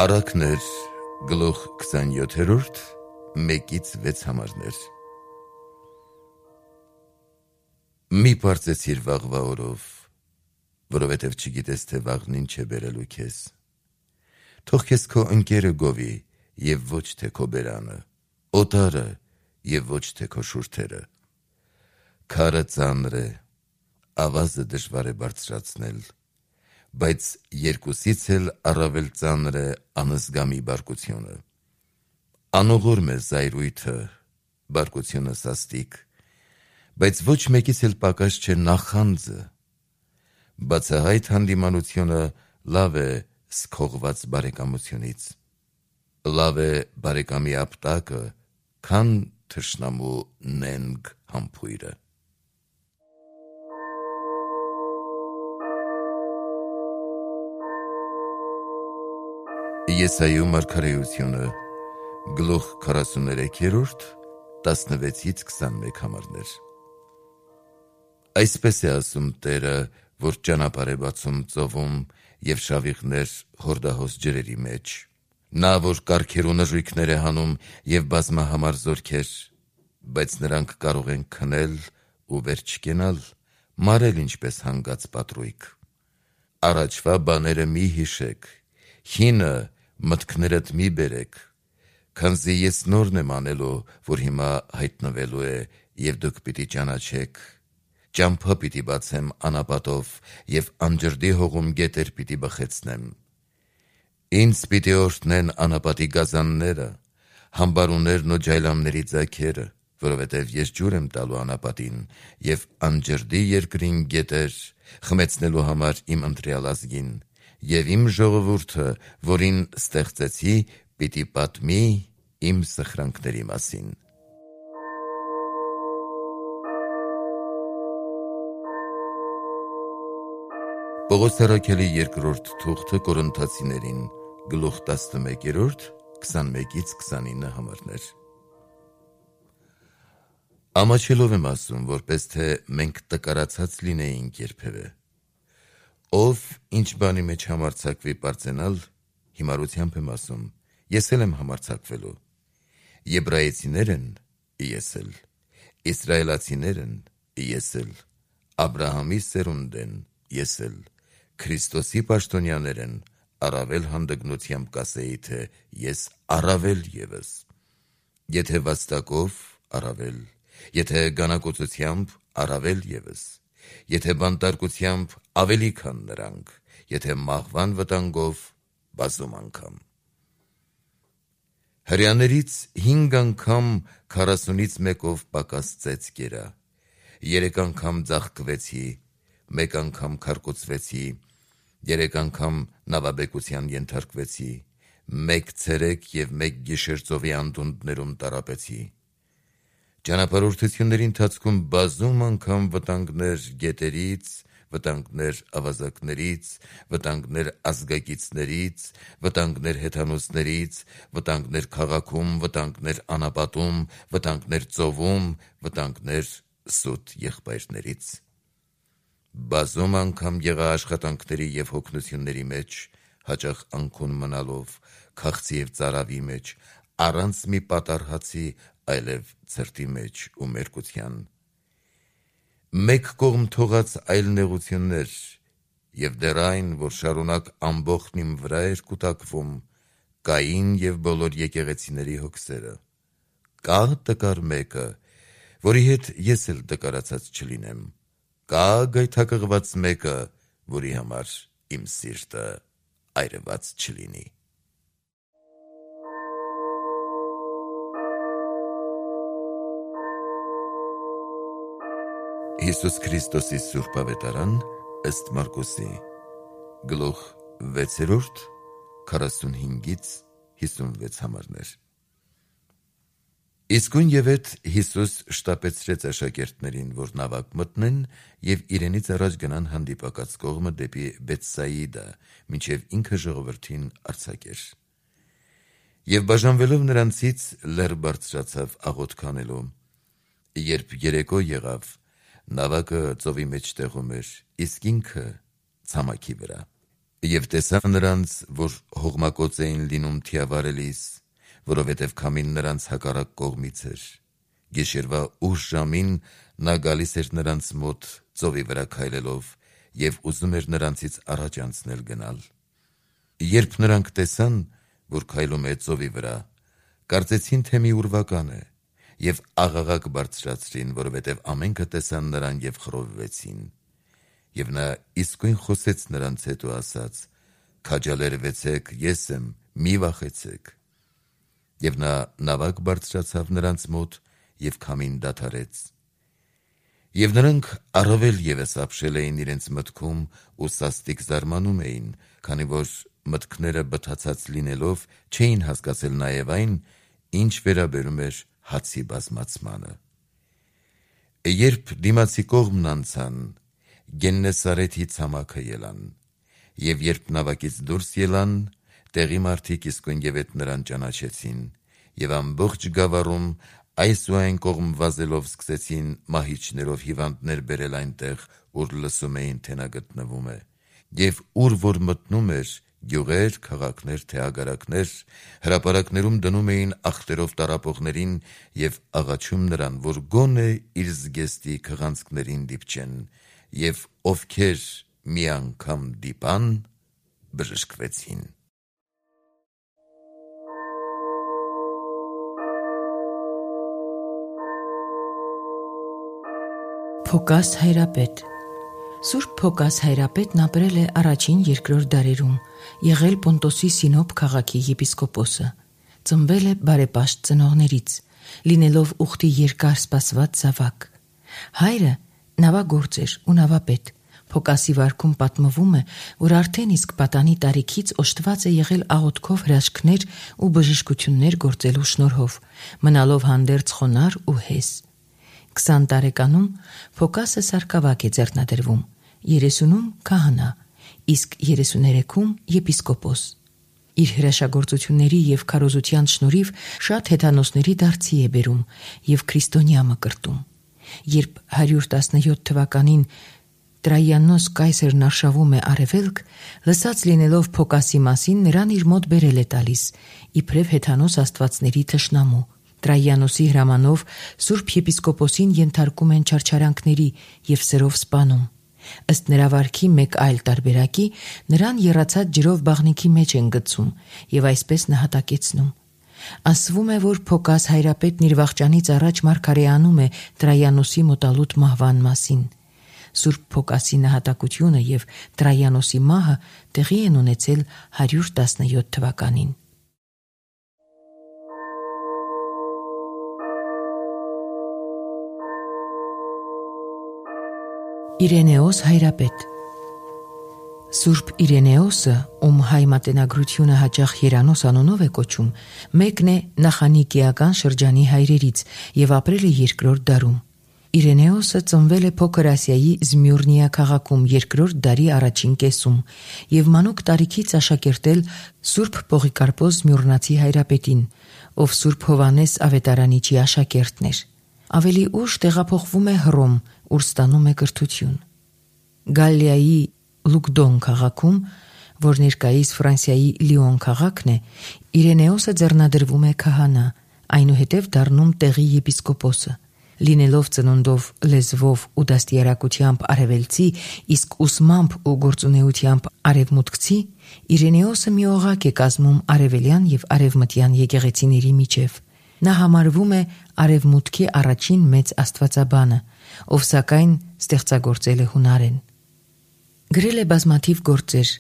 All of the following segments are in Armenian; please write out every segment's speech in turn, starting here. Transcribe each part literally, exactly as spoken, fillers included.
Առակներ գլուխ քսանյոթերորդ մեկից վեց համարներ։ Մի պարծեցիր վաղվա օրով, որովհետև չգիտես, թե վաղն ինչ է բերելու քեզ։ Թող քեզ քո ընկերը գովի, և ոչ թե քո բերանը, օտարը և ոչ թե քո շուրթերը։ Քարը ծանր է, ավազը դժվար է բարձրացնել, բայց երկուսից էլ առավել ծանր է անզգամի բարկությունը։ Անողորմ է զայրույթը, բարկությունը սաստիկ, բայց ոչ մեկից էլ պակաս չէ նախանձը։ Բացահայտ հանդիմանությունը լավ է սքողված բարեկամությունից։ Լավ է բարեկամի ապտակը, քան թշնամու նենգ համբույրը։ Եսայու մարգարեությունը գլուխ քառասուններեքերորդ տասնվեցից քսանմեկ համարներ։ Այսպես է ասում Տերը, որ ճանապարհ է բացում ծովում և շավիղներ հորդահոս ջրերի մեջ։ Նա, որ կառքեր ու նժույգներ է հանում և բազմահամար զորքեր, բայց նրանք կարող են քնել ու վեր չկենալ, մարել ինչպես հանգած պատրույգ։ Առաջվա բաները մի հիշեք, հինը մտքներդ մի բերեք, քանզի ես նորն եմ անելու, որ հիմա հայտնվելու է, և դուք պիտի ճանաչեք։ Ճամփա պիտի բացեմ անապատով և անջրդի հողում գետեր պիտի բխեցնեմ։ Ինձ պիտի օրհնեն անապատի գազանները, համբարուներն ու ջայլամների ձագերը, որովհետև ես ջուր եմ տալու անապատին և անջրդի երկրին գետեր, խմեցնելու համար իմ ընտրյալ ազգին, և իմ ժողովուրդը, որին ստեղծեցի, պիտի պատմի իմ սխրանքների մասին։ Պողոս առաքյալի երկրորդ թուղթը Կորինթացիներին գլուխ տասնմեկերորդ քսանմեկից քսանինը համարներ։ Ամաչելով եմ ասում, որպես թե մենք տկարացած լինեինք երբևէ։ Ով ինչ բանի մեջ համարձակվի պարծենալ, հիմարությամբ եմ ասում, ես էլ եմ համարձակվելու։ Եբրայեցիներ են, ես էլ, իսրայելացիներ են, ես էլ, Աբրահամի սերունդ են, ես էլ, Քրիստոսի պաշտոնյաներ են, առավել հանդգնությամբ կասեի, թե ես առավել ևս։ Եթե վաստակով, առավել, եթե գանակոծությամբ, առավել ևս, եթե բանտարկությամբ, ավելի քան նրանք, եթե մահվան վտանգով, բազում անգամ։ Հրեաներից հինգ անգամ քառասունից մեկով պակաս ծեծ կերա, երեք անգամ ձաղկվեցի, մեկ անգամ քարկոծվեցի, երեք անգամ նավաբեկության ենթարկվեցի, մեկ ցերեկ և մեկ գիշեր ծովի անդունդներում տառապեցի։ Ճանապարհորդությունների ընթացքում բազում անգամ վտանգներ գետերից, վտանգներ ավազակներից, վտանգներ ազգակիցներից, վտանգներ հեթանոսներից, վտանգներ քաղաքում, վտանգներ անապատում, վտանգներ ծովում, վտանգներ սուտ եղբայրներից։ Բազում անգամ եղա աշխատանքների և հոգնությունների մեջ, հաճախ անքուն մնալով, քաղցի և ծարավի մեջ, առանց մի պատառ հացի, այլև ցրտի մեջ ու մերկության։ Մեկ կողմ թողած այլ նեղություններ, և դեռ այն, որ շարունակ ամբոխն իմ վրա էր կուտակվում, կային և բոլոր եկեղեցիների հոգսերը։ Կա՞ տկար մեկը, որի հետ ես էլ տկարացած չլինեմ, կա՞ գայթակղված մեկը, որի համար իմ սիրտը այրված չլինի։ Հիսուս Քրիստոսի Սուրբ Ավետարան ըստ Մարկոսի գլուխ վեցերորդ քառասունհինգից հիսունվեց համարներ։ Իսկույն ևեթ Հիսուս շտապեցրեց աշակերտներին, որ նավակ մտնեն և իրենից առաջ գնան հանդիպակաց կողմը դեպի Բեթսայիդա, մինչև ինքը ժողովրդին արձակեր։ Եվ բաժանվելով նրանցից լեռ բարձրացավ աղոթք անելու։ Երբ երեկո եղավ, նավակը ծովի մեջտեղում էր, իսկ ինքը ցամաքի վրա։ Եվ տեսա նրանց, որ հողմակոծ էին լինում թիավարելիս, որովհետև քամին նրանց հակառակ կողմից էր։ Գիշերվա ուշ ժամին նա գալիս էր նրանց մոտ ծովի վրա քայլելով և ուզում էր նրանցից առաջ անցնել գնալ։ Երբ նրանք տեսան, որ քայլում է ծովի վրա, կարծեցին, թե մի ուրվական է, և աղաղակ բարձրացրին, որովհետև ամենքը տեսան նրան և խռովվեցին։ Եվ նա իսկույն խոսեց նրանց հետ ու ասաց. «Քաջալերվեցեք, ես եմ, մի վախեցեք»։ Եվ նա նավակ բարձրացավ նրանց մոտ և քամին դադարեց։ Եվ նրանք առավել ևս ապշել էին իրենց մտքում ու սաստիկ զարմանում էին, քանի որ մտքները բթացած լինելով չէին հասկացել նաև այն, ինչ վերաբերում էր հացի բազմացմանը։ Երբ դիմացի կողմն անցան, Գեննեսարեթի ցամաքը ելան, և երբ նավակից դուրս ելան, տեղի մարդիկ իսկույն ևեթ նրան ճանաչեցին, և ամբողջ գավառում այս ու այն կողմ վազելով սկսեցին մահիճներով հիվանդներ բերել այնտեղ, ուր լսում էին, թե նա գտնվում է, և ուր որ մտնում էր, գյուղեր, քաղաքներ, թե ագարակներ, հրապարակներում դնում էին ախտերով տառապողներին և աղաչում նրան, որ գոնե իր զգեստի քղանցքներին դիպչեն, և ովքեր մի անգամ դիպան, բժշկվեցին։ Փոկաս Հայրապետ Սուրբ Փոկաս Հայրապետն ապրել է առաջին երկրորդ դարերում, եղել Պոնտոսի Սինոփ քաղաքի եպիսկոպոսը, ծնվել է բարեպաշտ ծնողներից, լինելով ուխտի երկար սպասված զավակ։ Հայրը նավագործ էր ու նավապետ։ Փոկասի վարքում պատմվում է, որ արդեն իսկ պատանի տարիքից օժտված է եղել աղոթքով հրաշքներ ու բժշկություններ գործելու շնորհով, մնալով հանդերձ խոնարհ ու հես։ Քսան տարեկանում Փոկասը սարկավակ է ձեռնադրվում, երեսունում քահանա, իսկ երեսուներեքում եպիսկոպոս։ Իր հրաշագործությունների և քարոզության շնորհիվ շատ հեթանոսների դարձի է բերում և քրիստոնյա մկրտում։ Երբ հարյուր տասնյոթ թվականին Տրայանոս կայսերն արշավում է արևելք, լսած լինելով Փոկասի մասին, նրան իր մոտ բերել է տալիս, իբրև հեթանոս աստվածների թշնամու։ Տրայանոսի հրամանով Սուրբ եպիսկոպոսին ենթարկում են չարչարանքների և սերով սպանում։ Ըստ նրա վարքի մեկ այլ տարբերակի, նրան եռացած ջրով բաղնիքի մեջ են գցում և այսպես նահատակեցնում։ Ասվում է, որ Փոկաս Հայրապետն իր վախճանից առաջ մարգարեանում է Տրայանոսի մոտալուտ մահվան մասին։ Սուրբ Փոկասի նահատակությունը և Տրայանոսի մահը տեղի են ունեցել հարյուր տասնյոթ թվականին։ Իրենեոս Հայրապետ Սուրբ Իրենեոսը, ում հայ մատենագրությունը հաճախ Երանոս անունով է կոչում, մեկն է նախանիկիական շրջանի հայրերից և ապրել է երկրորդ դարում։ Իրենեոսը ծնվել է Փոքր Ասիայի Զմյուրնիա քաղաքում երկրորդ դարի առաջին կեսում և մանուկ տարիքից աշակերտել Սուրբ Պողիկարպոս Զմյուրնացի Հայրապետին, ով Սուրբ Հովհաննես Ավետարանիչի աշակերտն էր։ Ավելի ուշ տեղափոխվում է Հռոմ, ուր ստանում է կրթություն։ Գալիայի Լուկդոն քաղաքում, որ ներկայիս Ֆրանսիայի Լիոն քաղաքն է, Իրենեոսը ձեռնադրվում է քահանա, այնուհետև դառնում տեղի եպիսկոպոսը։ Լինելով ծնունդով, լեզվով ու դաստիարակությամբ արևելցի, իսկ ուսմամբ ու գործունեությամբ արևմուտքցի, Իրենեոսը մի օղակ է կազմում արևելյան և արևմտյան եկեղեցիների միջև։ Նա համարվում է արևմուտքի առաջին մեծ աստվածաբանը, ով սակայն ստեղծագործել է հունարեն։ Գրել է բազմաթիվ գործեր,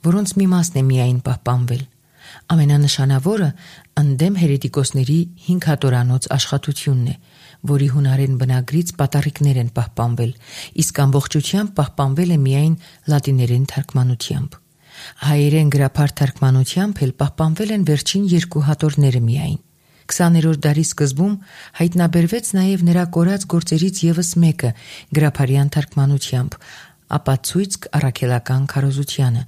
որոնց մի մասն է միայն պահպանվել։ Ամենանշանավորը ընդդեմ հերետիկոսների հինգ հատորանոց աշխատությունն է, որի հունարեն բնագրից պատառիկներ են պահպանվել, իսկ ամբողջությամբ պահպանվել է միայն լատիներեն թարգմանությամբ։ Հայերեն գրափար թարգմանությամբ էլ պահպանվել են վերջին երկու հատորները միայն։ քսաներորդ դարի սկզբում հայտնաբերվեց նաև նրա կորած գործերից ևս մեկը գրափարյան թարգմանությամբ, ապացույցք առաքելական քարոզությանը,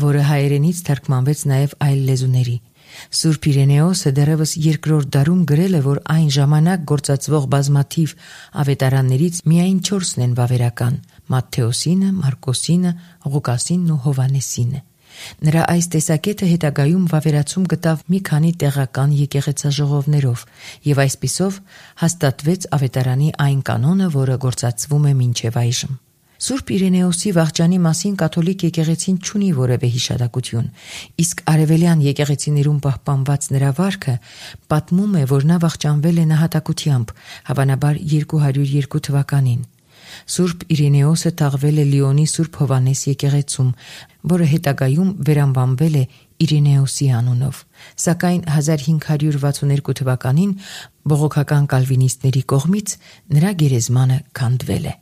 որը հայերենից թարգմանվեց նաև այլ լեզուների։ Սուրբ Իրենեոսը դեռևս երկրորդ դարում գրել է, որ այն ժամանակ գործածվող բազմաթիվ ավետարաններից միայն չորսն են վավերական՝ Մատթեոսինը, Մարկոսինը, Ղուկասինն ու Հովհաննեսինը։ Նրա այս տեսակետը հետագայում վավերացում գտավ մի քանի տեղական եկեղեցաժողովներով եւ այսպիսով հաստատվեց ավետարանի այն կանոնը, որը գործածվում է մինչև այժմ։ Սուրբ Իրինեոսի վախճանի մասին կաթոլիկ եկեղեցին չունի որևէ հիշատակություն, իսկ արևելյան եկեղեցիներում պահպանված նրա վարքը պատմում է, որ նա վախճանվել է նահատակությամբ, հավանաբար երկու հարյուր երկու թվականին։ Սուրբ Իրինեոսը թաղվել է Լիոնի Սուրբ Հովանես եկեղեցում, որը հետագայում վերանվանվել է Իրինեոսի անունով, սակայն հազար հինգ հարյուր վաթսունհերկու թվականին բողոքական կալվինիստների կողմից նրա գերեզմանը քանդվել է։